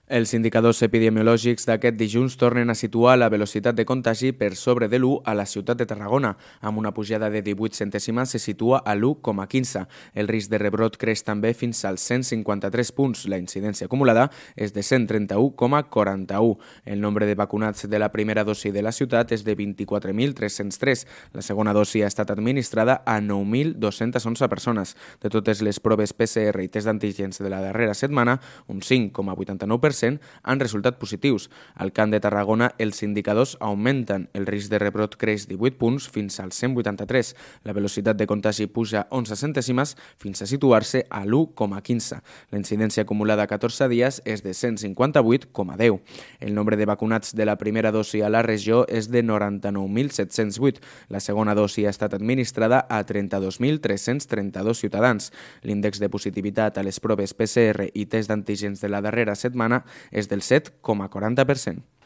Els indicadors epidemiològics d'aquest dilluns tornen a situar la velocitat de contagi per sobre de l'1 a la ciutat de Tarragona. Amb una pujada de 18 centèsimes se situa a l'1,15. El risc de rebrot creix també fins als 153 punts. La incidència acumulada és de 131,41. El nombre de vacunats de la primera dosi de la ciutat és de 24.303. La segona dosi ha estat administrada a 9.211 persones. De totes les proves PCR i test d'antígens de la darrera setmana, un 5,89% han resultat positius. Al Camp de Tarragona els indicadors augmenten. El risc de rebrot creix 18 punts fins als 183. La velocitat de contagi puja 11 centèsimes fins a situar-se a l'1,15. La incidència acumulada a 14 dies és de 158,10. El nombre de vacunats de la primera dosi a la regió és de 99.708. La segona dosi ha estat administrada a 32.332 ciutadans. L'índex de positivitat a les proves PCR i test d'antígens de la darrera setmana és del 7,40%.